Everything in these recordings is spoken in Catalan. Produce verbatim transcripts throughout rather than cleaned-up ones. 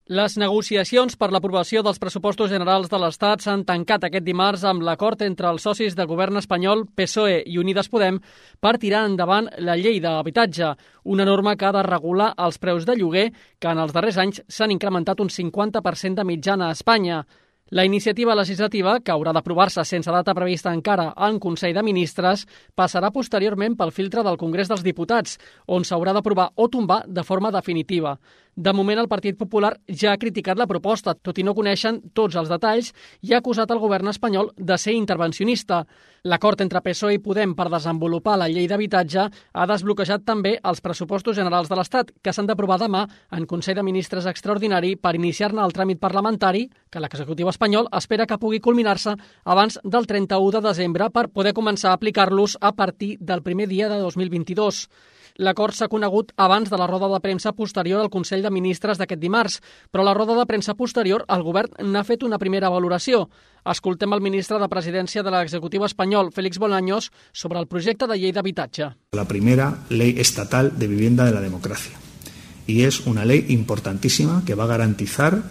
Les negociacions per l'aprovació dels pressupostos generals de l'Estat s'han tancat aquest dimarts amb l'acord entre els socis de govern espanyol, P S O E i Unides Podem, per tirar endavant la llei d'habitatge, una norma que ha de regular els preus de lloguer que en els darrers anys s'han incrementat un cinquanta per cent de mitjana a Espanya. La iniciativa legislativa, que haurà d'aprovar-se sense data prevista encara en Consell de Ministres, passarà posteriorment pel filtre del Congrés dels Diputats, on s'haurà d'aprovar o tombar de forma definitiva. De moment, el Partit Popular ja ha criticat la proposta, tot i no coneixen tots els detalls, i ha acusat el govern espanyol de ser intervencionista. L'acord entre P S O E i Podem per desenvolupar la llei d'habitatge ha desbloquejat també els pressupostos generals de l'Estat, que s'han d'aprovar demà en Consell de Ministres extraordinari per iniciar-ne el tràmit parlamentari, que l'executiu espanyol espera que pugui culminar-se abans del trenta-u de desembre per poder començar a aplicar-los a partir del primer dia de dos mil vint-i-dos. L'acord s'ha conegut abans de la roda de premsa posterior al Consell de Ministres d'aquest dimarts, però a la roda de premsa posterior el govern n'ha fet una primera valoració. Escoltem el ministre de Presidència de l'executiu espanyol, Félix Bolaños, sobre el projecte de llei d'habitatge. La primera ley estatal de vivienda de la democracia. Y es una ley importantísima que va a garantizar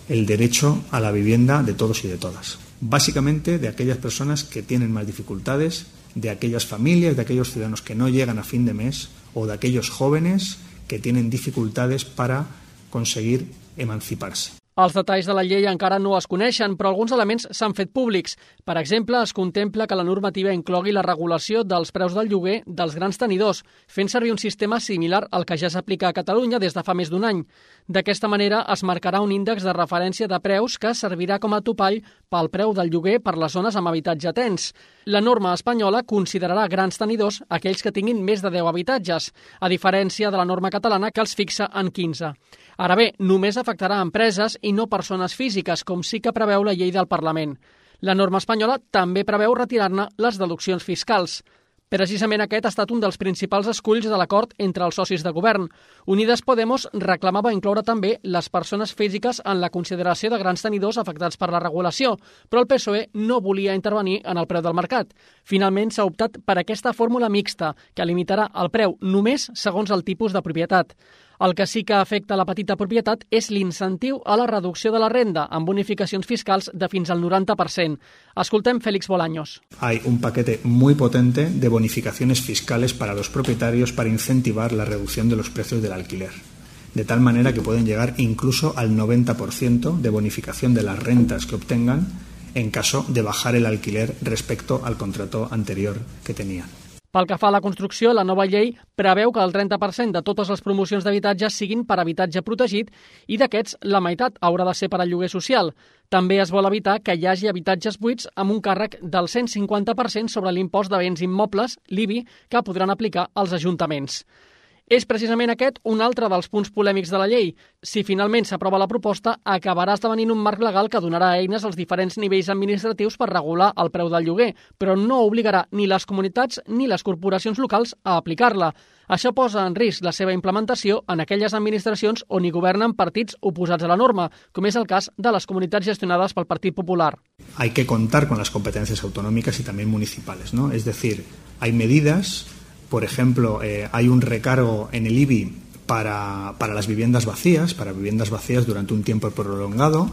el derecho a la vivienda de todos y de todas. Básicamente de aquellas personas que tienen más dificultades, de aquellas familias, de aquellos ciudadanos que no llegan a fin de mes o de aquellos jóvenes que tienen dificultades para conseguir emanciparse. Els detalls de la llei encara no es coneixen, però alguns elements s'han fet públics. Per exemple, es contempla que la normativa inclogui la regulació dels preus del lloguer dels grans tenidors, fent servir un sistema similar al que ja s'aplica a Catalunya des de fa més d'un any. D'aquesta manera es marcarà un índex de referència de preus que servirà com a topall pel preu del lloguer per les zones amb habitatge tens. La norma espanyola considerarà grans tenidors aquells que tinguin més de deu habitatges, a diferència de la norma catalana que els fixa en quinze. Ara bé, només afectarà empreses i no persones físiques, com sí que preveu la llei del Parlament. La norma espanyola també preveu retirar-ne les deduccions fiscals. Precisament aquest ha estat un dels principals esculls de l'acord entre els socis de govern. Unides Podemos reclamava incloure també les persones físiques en la consideració de grans tenidors afectats per la regulació, però el P S O E no volia intervenir en el preu del mercat. Finalment s'ha optat per aquesta fórmula mixta, que limitarà el preu només segons el tipus de propietat. El que sí que afecta la petita propietat és l'incentiu a la reducció de la renda, amb bonificacions fiscals de fins al noranta per cent. Escoltem Félix Bolaños. Hay un paquete muy potente de bonificaciones fiscales para los propietarios para incentivar la reducción de los precios del alquiler, de tal manera que pueden llegar incluso al noventa por ciento de bonificación de las rentas que obtengan en caso de bajar el alquiler respecto al contrato anterior que tenían. Pel que fa a la construcció, la nova llei preveu que el trenta per cent de totes les promocions d'habitatge siguin per habitatge protegit i d'aquests la meitat haurà de ser per al lloguer social. També es vol evitar que hi hagi habitatges buits amb un càrrec del cent cinquanta per cent sobre l'impost de béns immobles, l'I B I, que podran aplicar els ajuntaments. És precisament aquest un altre dels punts polèmics de la llei. Si finalment s'aprova la proposta, acabarà esdevenint un marc legal que donarà eines als diferents nivells administratius per regular el preu del lloguer, però no obligarà ni les comunitats ni les corporacions locals a aplicar-la. Això posa en risc la seva implementació en aquelles administracions on hi governen partits oposats a la norma, com és el cas de les comunitats gestionades pel Partit Popular. Hay que contar con las competencias autonómicas y también municipales, ¿no? Es decir, hay medidas. Por ejemplo, eh, hay un recargo en el I B I para, para las viviendas vacías, para viviendas vacías durante un tiempo prolongado,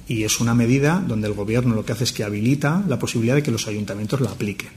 y es una medida donde el Gobierno lo que hace es que habilita la posibilidad de que los ayuntamientos la apliquen.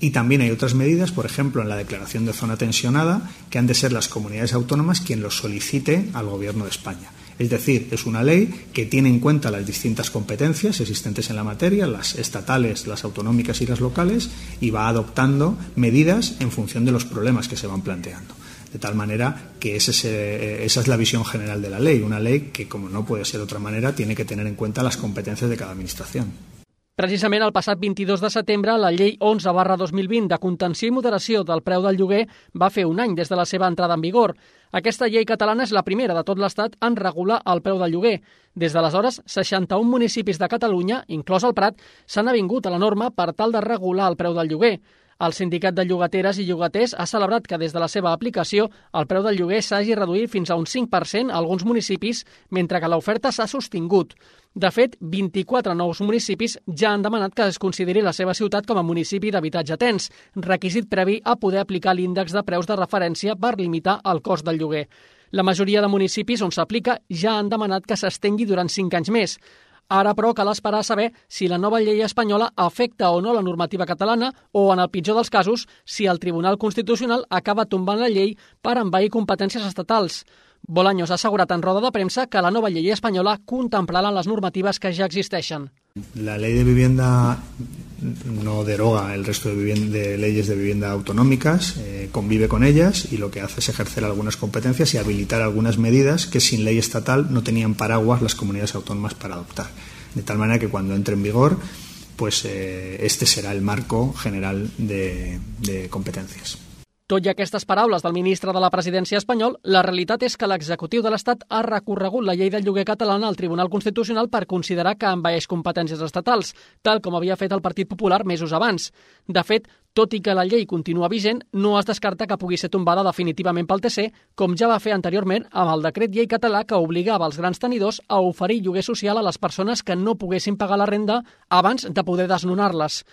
Y también hay otras medidas, por ejemplo, en la declaración de zona tensionada, que han de ser las comunidades autónomas quien los solicite al Gobierno de España. Es decir, es una ley que tiene en cuenta las distintas competencias existentes en la materia, las estatales, las autonómicas y las locales, y va adoptando medidas en función de los problemas que se van planteando. De tal manera que ese, ese, esa es la visión general de la ley, una ley que, como no puede ser de otra manera, tiene que tener en cuenta las competencias de cada administración. Precisament el passat vint-i-dos de setembre, la llei onze barra dos mil vint de contenció i moderació del preu del lloguer va fer un any des de la seva entrada en vigor. Aquesta llei catalana és la primera de tot l'Estat en regular el preu del lloguer. Des d'aleshores, seixanta-un municipis de Catalunya, inclòs el Prat, s'han avingut a la norma per tal de regular el preu del lloguer. El Sindicat de Llogateres i Llogaters ha celebrat que des de la seva aplicació el preu del lloguer s'hagi reduït fins a un cinc per cent a alguns municipis, mentre que l'oferta s'ha sostingut. De fet, vint-i-quatre nous municipis ja han demanat que es consideri la seva ciutat com a municipi d'habitatge tens, requisit previ a poder aplicar l'índex de preus de referència per limitar el cost del lloguer. La majoria de municipis on s'aplica ja han demanat que s'estengui durant cinc anys més. Ara, però, cal esperar a saber si la nova llei espanyola afecta o no la normativa catalana o, en el pitjor dels casos, si el Tribunal Constitucional acaba tombant la llei per envair competències estatals. Bolaños ha assegurat en roda de premsa que la nova llei espanyola contemplarà les normatives que ja existeixen. La ley de vivienda no deroga el resto de, vivienda, de leyes de vivienda autonómicas, eh, convive con ellas y lo que hace es ejercer algunas competencias y habilitar algunas medidas que sin ley estatal no tenían paraguas las comunidades autónomas para adoptar. De tal manera que cuando entre en vigor, pues eh, este será el marco general de, de competencias. Tot i aquestes paraules del ministre de la Presidència espanyol, la realitat és que l'executiu de l'Estat ha recorregut la llei del lloguer catalana al Tribunal Constitucional per considerar que envaeix competències estatals, tal com havia fet el Partit Popular mesos abans. De fet, tot i que la llei continua vigent, no es descarta que pugui ser tombada definitivament pel T C, com ja va fer anteriorment amb el decret llei català que obligava els grans tenidors a oferir lloguer social a les persones que no poguessin pagar la renda abans de poder desnonar-les.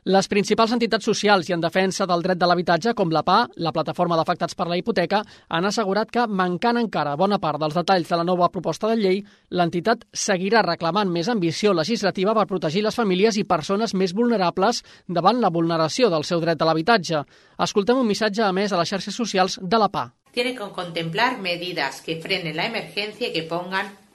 Les principals entitats socials i en defensa del dret de l'habitatge, com la P A, la Plataforma d'Afectats per la Hipoteca, han assegurat que, mancant encara bona part dels detalls de la nova proposta de llei, l'entitat seguirà reclamant més ambició legislativa per protegir les famílies i persones més vulnerables davant la vulneració del seu dret de l'habitatge. Escoltem un missatge emès a les xarxes socials de la P A. Tiene que contemplar medidas que frenen la emergencia y que pongan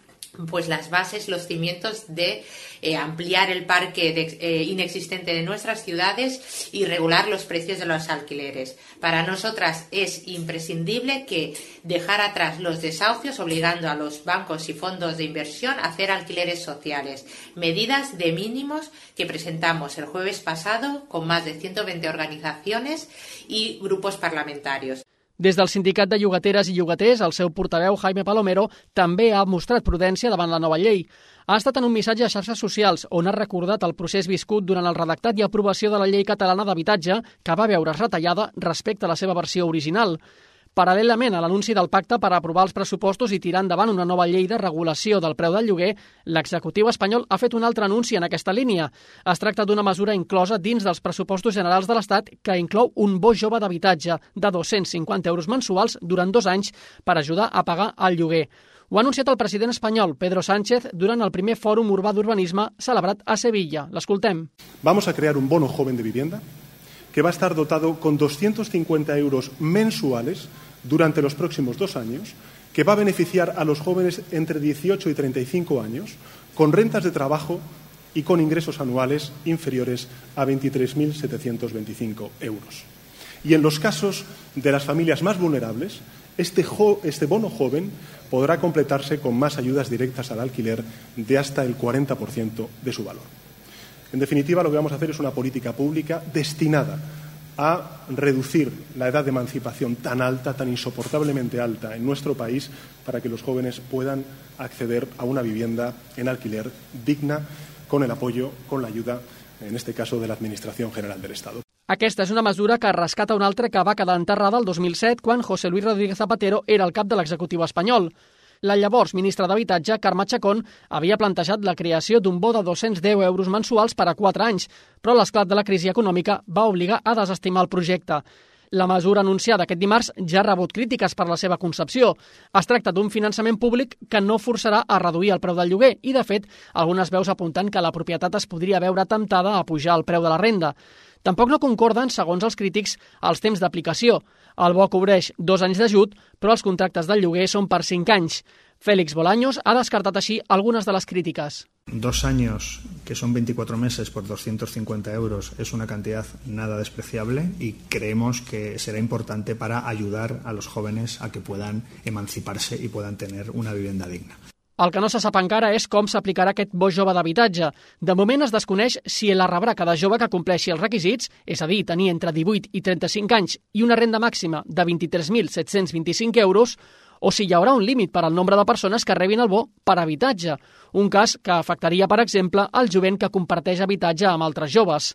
pues las bases, los cimientos de eh, ampliar el parque de, eh, inexistente de nuestras ciudades y regular los precios de los alquileres. Para nosotras es imprescindible que dejar atrás los desahucios, obligando a los bancos y fondos de inversión a hacer alquileres sociales. Medidas de mínimos que presentamos el jueves pasado con más de ciento veinte organizaciones y grupos parlamentarios. Des del Sindicat de Llogateres i Llogaters, el seu portaveu, Jaime Palomero, també ha mostrat prudència davant la nova llei. Ha estat en un missatge a xarxes socials on ha recordat el procés viscut durant el redactat i aprovació de la llei catalana d'habitatge, que va veure's retallada respecte a la seva versió original. Paral·lelament a l'anunci del pacte per aprovar els pressupostos i tirar endavant una nova llei de regulació del preu del lloguer, l'executiu espanyol ha fet un altre anunci en aquesta línia. Es tracta d'una mesura inclosa dins dels pressupostos generals de l'Estat que inclou un bo jove d'habitatge de dos-cents cinquanta euros mensuals durant dos anys per ajudar a pagar el lloguer. Ho ha anunciat el president espanyol, Pedro Sánchez, durant el primer fòrum urbà d'urbanisme celebrat a Sevilla. L'escoltem. Vamos a crear un bono joven de vivienda que va a estar dotado con doscientos cincuenta euros mensuales durante los próximos dos años, que va a beneficiar a los jóvenes entre dieciocho y treinta y cinco años, con rentas de trabajo y con ingresos anuales inferiores a veintitrés mil setecientos veinticinco euros. Y en los casos de las familias más vulnerables, este, jo- este bono joven podrá completarse con más ayudas directas al alquiler de hasta el cuarenta por ciento de su valor. En definitiva, lo que vamos a hacer es una política pública destinada a reducir la edad de emancipación tan alta, tan insoportablemente alta en nuestro país, para que los jóvenes puedan acceder a una vivienda en alquiler digna, con el apoyo, con la ayuda, en este caso, de la Administración General del Estado. Aquesta és una mesura que rescata una altra que va quedar enterrada el dos mil set quan José Luis Rodríguez Zapatero era el cap de l'executiu espanyol. La llavors ministra d'Habitatge, Carme Chacón, havia plantejat la creació d'un bo de dos-cents deu euros mensuals per a quatre anys, però l'esclat de la crisi econòmica va obligar a desestimar el projecte. La mesura anunciada aquest dimarts ja ha rebut crítiques per la seva concepció. Es tracta d'un finançament públic que no forçarà a reduir el preu del lloguer i, de fet, algunes veus apunten que la propietat es podria veure temptada a pujar el preu de la renda. Tampoc no concorden, segons els crítics, els temps d'aplicació. El bo cobreix dos anys d'ajut, però els contractes del lloguer són per cinc anys. Félix Bolaños ha descartat així algunes de les crítiques. Dos años, que son veinticuatro meses por doscientos cincuenta euros, es una cantidad nada despreciable y creemos que será importante para ayudar a los jóvenes a que puedan emanciparse y puedan tener una vivienda digna. El que no se sap encara és com s'aplicarà aquest bo jove d'habitatge. De moment es desconeix si la rebrà cada jove que compleixi els requisits, és a dir, tenir entre divuit i trenta-cinc anys i una renda màxima de vint-i-tres mil set-cents vint-i-cinc euros, o si hi haurà un límit per al nombre de persones que rebin el bo per habitatge, un cas que afectaria, per exemple, el jovent que comparteix habitatge amb altres joves.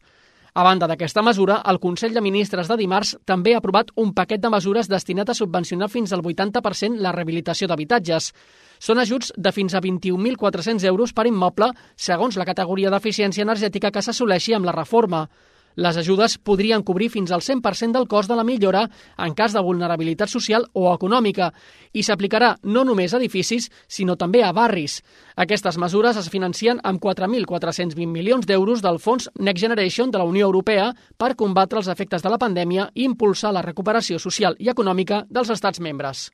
A banda d'aquesta mesura, el Consell de Ministres de dimarts també ha aprovat un paquet de mesures destinat a subvencionar fins al vuitanta per cent la rehabilitació d'habitatges. Són ajuts de fins a vint-i-un mil quatre-cents euros per immoble, segons la categoria d'eficiència energètica que s'assoleixi amb la reforma. Les ajudes podrien cobrir fins al cent per cent del cost de la millora en cas de vulnerabilitat social o econòmica i s'aplicarà no només a edificis, sinó també a barris. Aquestes mesures es financien amb quatre mil quatre-cents vint milions d'euros del fons Next Generation de la Unió Europea per combatre els efectes de la pandèmia i impulsar la recuperació social i econòmica dels estats membres.